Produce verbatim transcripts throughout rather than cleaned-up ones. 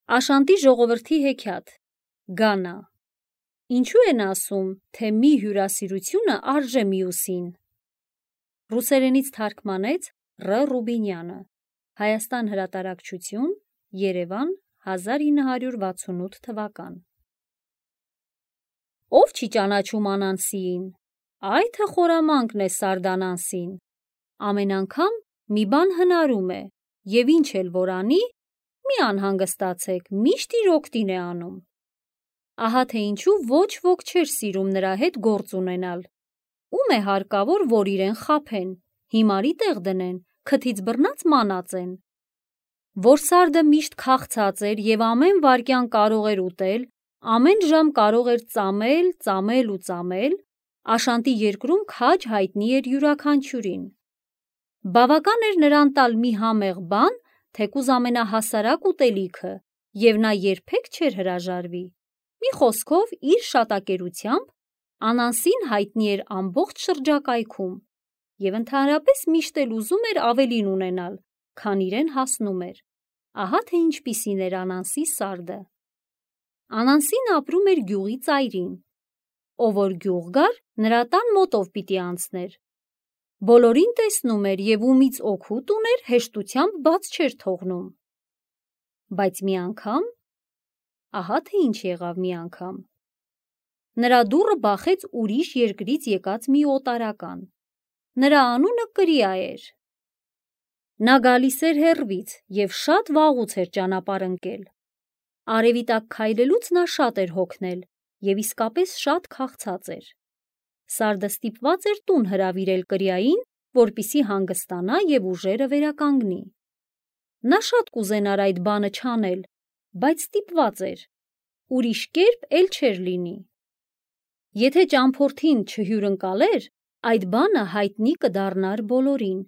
Աշանտի ժողովրդի հեքիաթ, Գանա։ Ինչու են ասում, թե մի հյուրասիրությունը արժե մյուսին։ Ռուսերենից թարգմանեց Ռ. Ռուբինյանը, Հայաստան հրատարակչություն, Երևան, հազար ինը հարյուր վաթսունութ թվական։ Ով չի ճանաչում Անանսիին, այ թե խորամանկն է Սարդանանսին։ Ամեն անգամ մի բան հնարում է, և ինչ էլ որ անի, մի անհանգստացեք, միշտ իր օգտին է անում։ Ահա թե ինչու ոչ ոք չէր սիրում նրա հետ գործ ունենալ։ Ում է հարկավոր, որ իրեն խաբեն, հիմարի տեղ դնեն, քթից բռնած մանածեն։ Որ Սարդը միշտ քաղցած էր և ամեն վայրկյան կարող էր ուտել, ամեն ժամ կարող էր ծամել, ծամել ու ծամել, Աշանտի երկրում քաջ հայտնի էր յուրաքանչյուրին։ Բավական էր նրան տալ մի համեղ բան, թեկուզ ամենահասարակ ուտելիքը, և նա երբեք չէր հրաժարվի։ Մի խոսքով, իր շատակերությամբ Անանսին հայտնի էր ամբողջ շրջակայքում և ընդհանրապես միշտ էլ ուզում էր ավելին ունենալ, քան իրեն հասնում էր։ Ահա թե ինչպիսին էր Անանսի Սարդը։ Անանսին ապրում էր գյուղի ծայրին։ Ով որ գյուղ գար, նրա տան մոտով պիտի անցներ։ Բոլորին տեսնում էր և ումից օգուտ ուներ, հեշտությամբ բաց չէր թողնում։ Բայց մի անգամ, ահա թե ինչ եղավ մի անգամ։ Նրա դուռը բախեց ուրիշ երկրից եկած մի օտարական։ Նրա անունը Կրիա էր։ Նա գալիս էր հեռվից և շատ վաղուց էր ճանապարհ ընկել։ Արևի տակ քայլելուց նա շատ էր հոգնել և իսկապես շատ քաղցած էր։ Սարդը ստիպված էր տուն հրավիրել Կրիային, որպեսզի հանգստանա և ուժերը վերականգնի։ Նա շատ կուզենար այդ բանը չանել, բայց ստիպված էր, ուրիշ կերպ էլ չէր լինի։ Եթե ճամփորդին չհյուրընկալեր, այդ բանը հայտնի կդառնար բոլորին,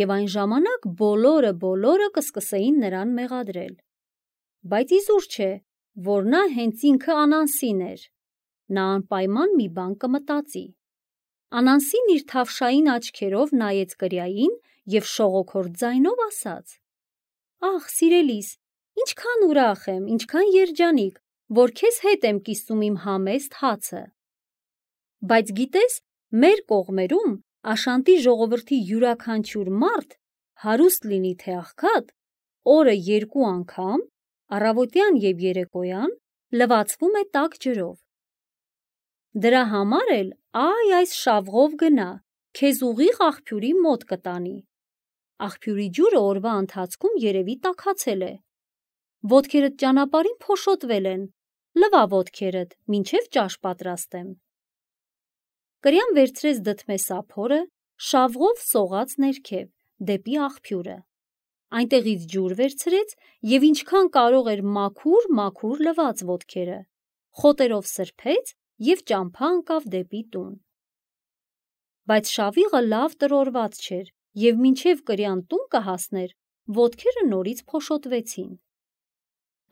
և այն ժամանակ բոլորը բոլորը կսկսեին նրան մեղադրել։ Բայց իզուր չէ, որ նա հենց ինքը Անանսին էր։ Նա անպայման մի բան կմտածի։ Անանսին իր թավշային աչքերով նայեց Կրիային և շողոքորթ ձայնով ասաց. «Ախ, սիրելիս, ինչքան ուրախ եմ, ինչքան երջանիկ, որ քեզ հետ եմ կիսում իմ համեստ հացը։ Բայց գիտես, մեր կողմերում Աշանտի ժողովրդի յուրաքանչյուր մարդ, հարուստ լինի թե աղքատ, օրը երկու անգամ, առավոտյան և երեկոյան, լվացվում է տաք ջրով։ Դրա համար էլ այ այս շավղով գնա, քեզ ուղիղ աղբյուրի մոտ կտանի։ Աղբյուրի ջուրը օրվա ընթացքում երևի տաքացել է։ Ոտքերդ ճանապարհին փոշոտվել են, լվա ոտքերդ, մինչև ճաշ պատրաստեմ»։ Կրիան վերցրեց դդմե սափորը, շավղով սողաց ներքև, դեպի աղբյուրը։ Այնտեղից ջուր վերցրեց և ինչքան կարող էր մաքուր-մաքուր լվաց ոտքերը, խոտերով սրբեց և ճամփա ընկավ դեպի տուն։ Բայց շավիղը լավ տրորված չէր, և մինչև Կրիան տուն կհասներ, ոտքերը նորից փոշոտվեցին։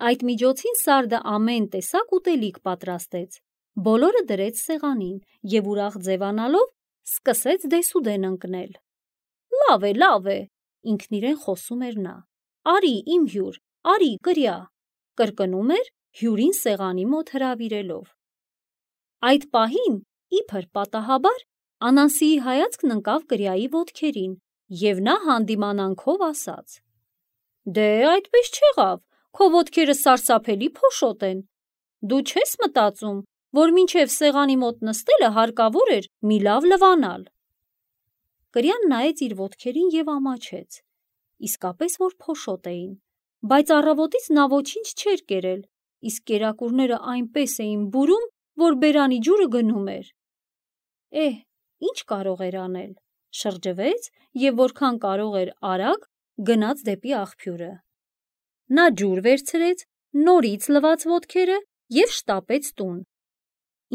Այդ միջոցին Սարդը ամեն տեսակ ուտելիք պատրաստեց, բոլորը դրեց սեղանին և ուրախ ձևանալով սկսեց դեսուդեն ընկնել։ «Լավ է, լավ է», ինքն իրեն խոսում էր նա։ «Արի, իմ հյուր, արի, Կրիա», կրկնում էր, հյուրին սեղանի մոտ հրավիրելով։ Այդ պահին, իբր պատահաբար, Անանսիի հայացքն ընկավ Կրիայի ոտքերին, և նա հանդիմանանքով ասաց. «Դե, այդպես չեղավ, քո ոտքերը սարսափելի փոշոտ են։ Դու չես մտածում, որ մինչև սեղանի մոտ նստելը հարկավոր էր մի լավ լվանալ»։ Կրիան նայեց իր ոտքերին և ամաչեց։ Իսկապես որ փոշոտ էին, բայց առավոտից նա ոչինչ չէր կերել, իսկ կերակուրները այնպես էին բուրում, որ բերանի ջուրը գնում էր։ Էհ, ինչ կարող էր անել, շրջվեց և որքան կարող էր արագ գնաց դեպի աղբյուրը։ Նա ջուր վերցրեց, նորից լվաց ոտքերը և շտապեց տուն։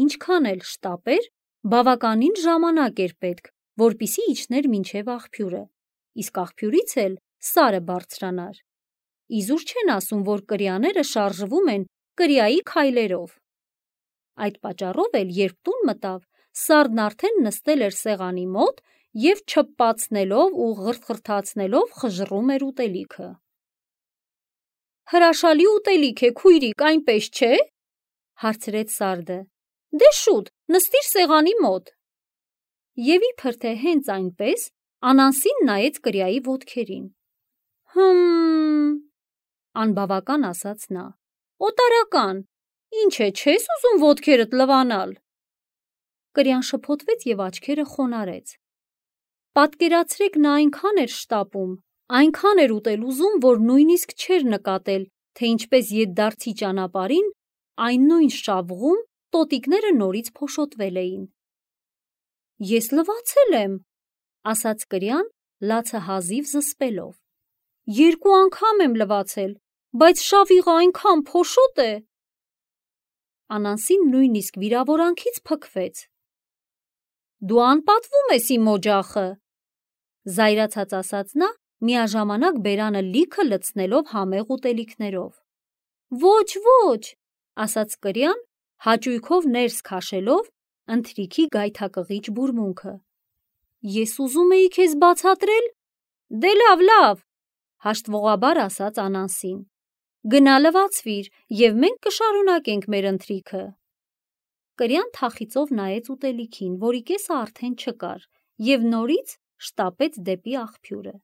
Ինչքան էլ շտապեր, բավականին ժամանակ էր պետք, որպեսզի իջներ մինչև աղբյուրը, իսկ աղբյուրից էլ Սարը բարձրանար։ Իզուր չեն ասում, որ կրիաները շարժվում են Կրիայի քայլերով։ Այդ պատճառով էլ, երբ տուն մտավ, Սարդն արդեն նստել էր սեղանի մոտ և չփպացնելով ու ղրթխրթացնելով խժռում էր ուտելիքը։ Հրաշալի ուտելիք է, քույրիկ, այնպես չէ, հարցրեց Սարդը։ Դե շուտ, նստիր սեղանի մոտ։ Եվ իբր թե հենց այնպես Անանսին նայեց կրիայի ոտքերին։ Հմ, անբավական ասաց նա։ Օտարական, ինչ է, չես ուզում ոտքերդ լվանալ։ Կրյան շփոթվեց եւ աչքերը խոնարհեց։ Պատկերացրեք, նա այնքան էր շտապում, այնքան էր ուտել ուզում, որ նույնիսկ չէր նկատել, թե ինչպես ետդարձի ճանապարհին այն նույն շավղում տոտիկները նորից փոշոտվել էին։ Ես լվացել եմ, ասաց կրյան, լացը հազիվ զսպելով։ Երկու անգամ եմ լվացել, բայց շավիղը այնքան փոշոտ է։ Անանսին նույնիսկ վիրավորանքից փքվեց։ Դու անպատվում ես իմ օջախը, զայրացած ասաց նա, միաժամանակ բերանը լիքը լցնելով համեղ ուտելիքներով։ Ոչ, ոչ, ասաց կրյան, հաճույքով ներս քաշելով ընթրիքի գայթակղիչ բուրմունքը։ Ես ուզում էի քեզ բացատրել։ Դե լավ, լավ, հաշտվողաբար ասաց Անանսին։ Գնա լվացվիր, եւ մենք կշարունակենք մեր ընթրիքը։ Կրյան թախիծով նայեց ուտելիքին, որի կեսը արդեն չկար, եւ նորից շտապեց դեպի աղբյուրը։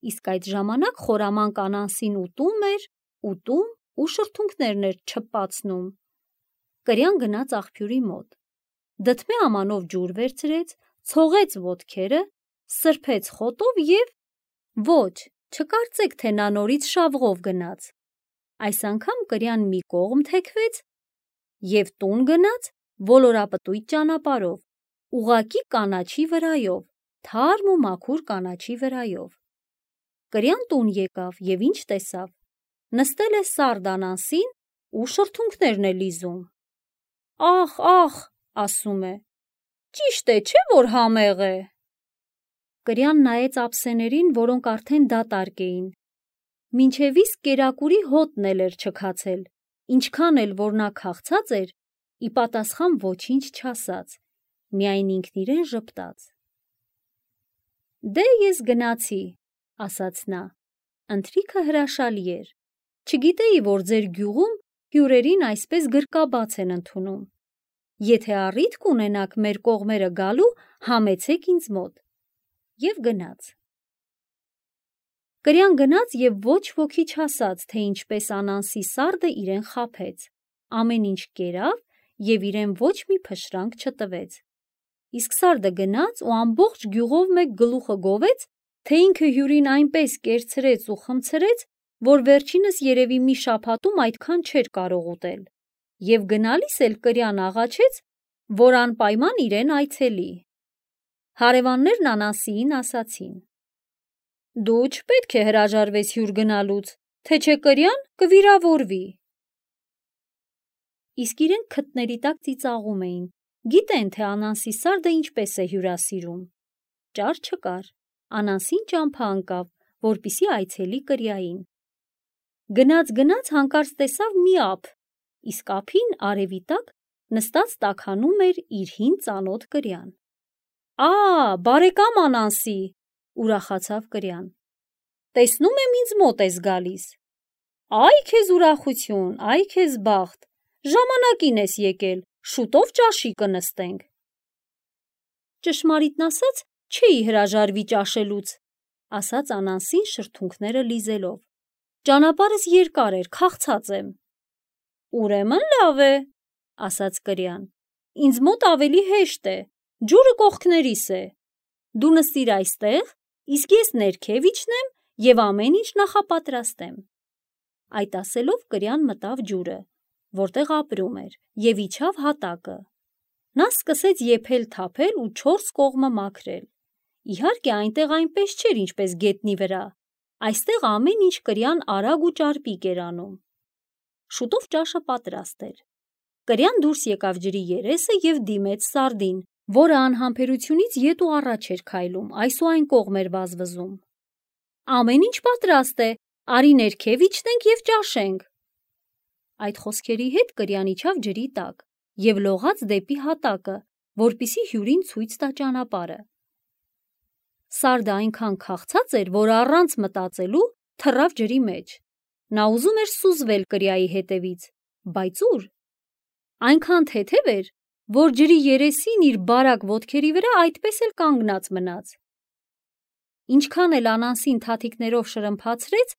Իսկ այդ ժամանակ խորամանկ Անանսին ուտում էր, ուտում ու շրթունքներն էր չպացնում։ Կրյան գնաց աղբյուրի մոտ, դդմե ամանով ջուր վերցրեց, ցողեց ոտքերը, սրբեց խոտով եւ ոչ, չկարծեք, թե նա նորից շավղով գնաց։ Այս անգամ կրյան մի կողմ թեքվեց եւ տուն գնաց ոլորապտույտ ճանապարհով, ուղղակի կանաչի վրայով, թարմ ու մաքուր կանաչի վրայով։ Կրյան տուն եկավ եւ ինչ տեսավ։ Նստել է Սարդ Անանսին ու շրթունքներն է լիզում։ Ախ, ախ, ասում է, ճիշտ է, չէ՞ որ համեղ է։ Կրյան նայեց ափսեներին, որոնք արդեն դատարկ էին։ Մինչև իսկ կերակուրի հոտն էլ էր չքացել, ինչքան էլ որ նա քաղցած էր, ի պատասխան ոչինչ չասաց, միայն ինքն իրեն ժպտաց։ Դե ես գնացի, ասաց նա, ընթրիքը հրաշալի էր, չգիտեի, որ ձեր գյուղում հյուրերին այսպես գրկաբաց են ընդունում։ Եթե առիթ կունենաք մեր կողմերը գալու, համեցեք ինձ մոտ։ Եվ գնաց։ Կրյան գնաց եւ ոչ ոքի չասաց, թե ինչպես Անանսի Սարդը իրեն խաբեց, ամեն ինչ կերավ եւ իրեն ոչ մի փշրանք չտվեց։ Իսկ Սարդը գնաց ու ամբողջ գյուղով մեկ գլուխը գովեց, թե ինքը հյուրին այնպես կերցրեց ու խմցրեց, որ վերջինս երևի մի շաբաթում այդքան չէր կարող ուտել։ Եվ գնալիս էլ Կրյան աղաչեց, որ անպայման իրեն այցելի։ Հարևաններն Անանսիին ասացին. Դու չպետք է հրաժարվես հյուր գնալուց, թե չէ Կրյան կվիրավորվի։ Իսկ իրենք քթների տակ ծիծաղում էին, գիտեն, թե Անանսի Սարդը ինչպես է հյուրասիրում։ Ճար չկար, Անանսին ճամփա ընկավ, որպիսի այցելի Կրյային։ Գնաց-գնաց հանկարծ տեսավ մի ափ, իսկ ափին արևի տակ նստած տաքանում էր իր հին ծանոթ Կրյան։ Ա, բարեկամ Անանսի, ուրախացավ Կրյան։ Տեսնում եմ ինձ մոտ ես գալիս։ Այ քեզ ուրախություն, այ քեզ բախտ, ժամանակին ես եկել, շուտով ճաշի կնստենք։ Ճշմարիտն ասած, չէի հրաժարվի ճաշելուց, ասաց Անանսին շրթունքները լիզելով։ Ճանապարհս երկար էր, քաղցած եմ։ Ուրեմն լավ է, ասաց Կրյան։ Ինձ մոտ ավելի հեշտ է, ջուրը կողքներիս է։ Դու նստիր այստեղ, իսկ ես ներքև իջնեմ եւ ամեն ինչ նախապատրաստեմ։ Այդ ասելով Կրյան մտավ ջուրը, որտեղ ապրում էր, եւ իջավ հատակը։ Նա սկսեց եփել-թափել ու չորս կողմը մաքրել։ Իհարկե այնտեղ այնպես չէր, ինչպես գետնի վրա։ Այստեղ ամեն ինչ Կրյան արագ ու ճարպիկ էր անում։ Շուտով ճաշը պատրաստ էր։ Կրյան դուրս եկավ ջրի երեսը եւ դիմեց Սարդին, որը անհամբերությունից ետ ու առաջ էր քայլում, այս ու այն կողմ էր վազվզում։ Ամեն ինչ պատրաստ է, արի ներքև իջնենք եւ ճաշենք։ Այդ խոսքերի հետ Կրյան իջավ ջրի տակ եւ լողաց դեպի հատակը, որպիսի հյուրին ցույց տա ճանապարհը։ Սարդը այնքան քաղցած էր, որ առանց մտածելու թռավ ջրի մեջ։ Նա ուզում էր սուզվել կրիայի հետևից, բայց ուր։ Այնքան թեթև էր, որ ջրի երեսին իր բարակ ոտքերի վրա այդպես էլ կանգնած մնաց։ Ինչքան էլ Անանսին թաթիկներով շրմփացրեց,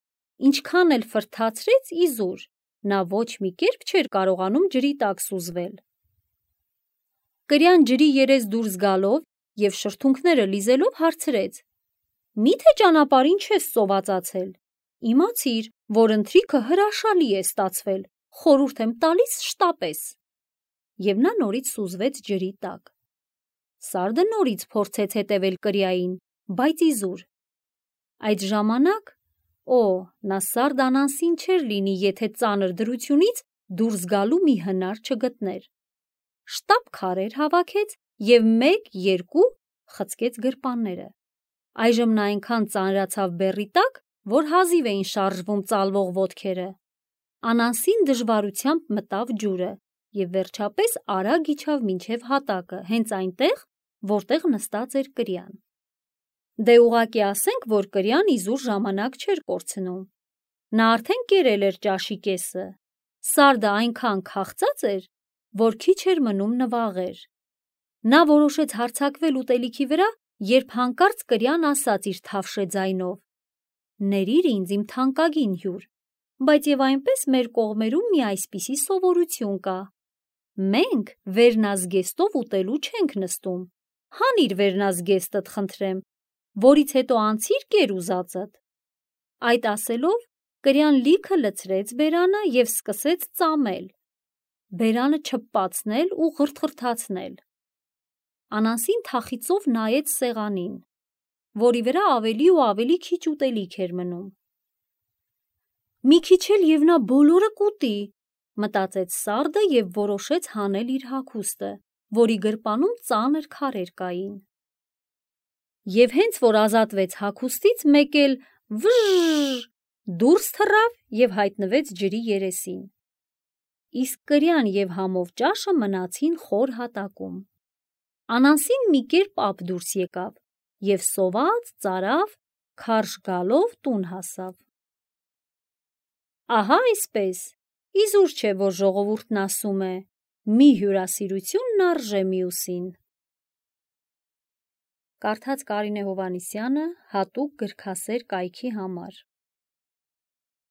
ինչքան էլ ֆրթացրեց, իզուր, նա ոչ մի կերպ չէր կարողանում ջրի տակ սուզվել։ Կրյան ջրի երես դուրս գալով և շրթունքները լիզելով հարցրեց. «Մի՞թե ճանապարհին չես սովածացել։ Իմացիր, որ ընթրիքը հրաշալի է ստացվել, խորհուրդ եմ տալիս շտապես»։ Եվ նա նորից սուզվեց ջրի տակ։ Սարդը նորից փորձեց հետևել կրիային, բայց իզուր։ Այդ ժամանակ, օ, նա Սարդ Անանսին չէր լինի, եթե ծանր դրությունից դուրս գալու մի հնար չգտներ։ Շտապ քարեր հավաքեց և մեկ, երկու խցկեց գրպանները։ Այժմ նա այնքան ծանրացավ բեռի տակ, որ հազիվ էին շարժվում ծալվող ոտքերը։ Անանսին դժվարությամբ մտավ ջուրը և վերջապես արագ իջավ մինչև հատակը, հենց այնտեղ, որտեղ նստած էր կրյան։ Դե ուղղակի ասենք, որ կրյան իզուր ժամանակ չէր կորցնում։ Նա արդեն կերել էր ճաշի կեսը։ Սարդը այնքան քաղցած էր, որ քիչ էր մնում նվաղեր։ Նա որոշեց հարձակվել ուտելիքի վրա, երբ հանկարծ կրյան ասաց իր թավշե ձայնով. «Ներիր ինձ, իմ թանկագին հյուր, բայց և այնպես մեր կողմերում մի այսպիսի սովորություն կա. մենք վերնազգեստով ուտելու չենք նստում, հանիր վերնազգեստդ, խնդրեմ, որից հետո անցիր կեր ուզածդ»։ Այդ ասելով, կրյան լիքը լցրեց բերանը և սկսեց ծամել, բերանը չփպացնել ու ղրթղրթացնել։ Անանսին թախիծով նայեց սեղանին, որի վրա ավելի ու ավելի քիչ ուտելիք էր մնում։ «Մի քիչ էլ և նա բոլորը կուտի», մտածեց Սարդը և որոշեց հանել իր հագուստը, որի գրպանում ծանր քարեր կային։ Եվ հենց որ ազատվեց հագուստից, մեկ էլ վը՜ժժ դուրս թռավ և հայտնվեց ջրի երեսին։ Իսկ կրյան և համով ճաշը մնացին խոր հատակում։ Անանսին մի կերպ ափ դուրս եկավ և սոված, ծարավ, քարշ գալով տուն հասավ։ Ահա այսպես, իզուր չէ, որ ժողովուրդն ասում է. «Մի հյուրասիրությունն արժե մյուսին»։ Կարդաց Կարինե Հովհաննիսյանը հատուկ գրքասեր կայքի համար։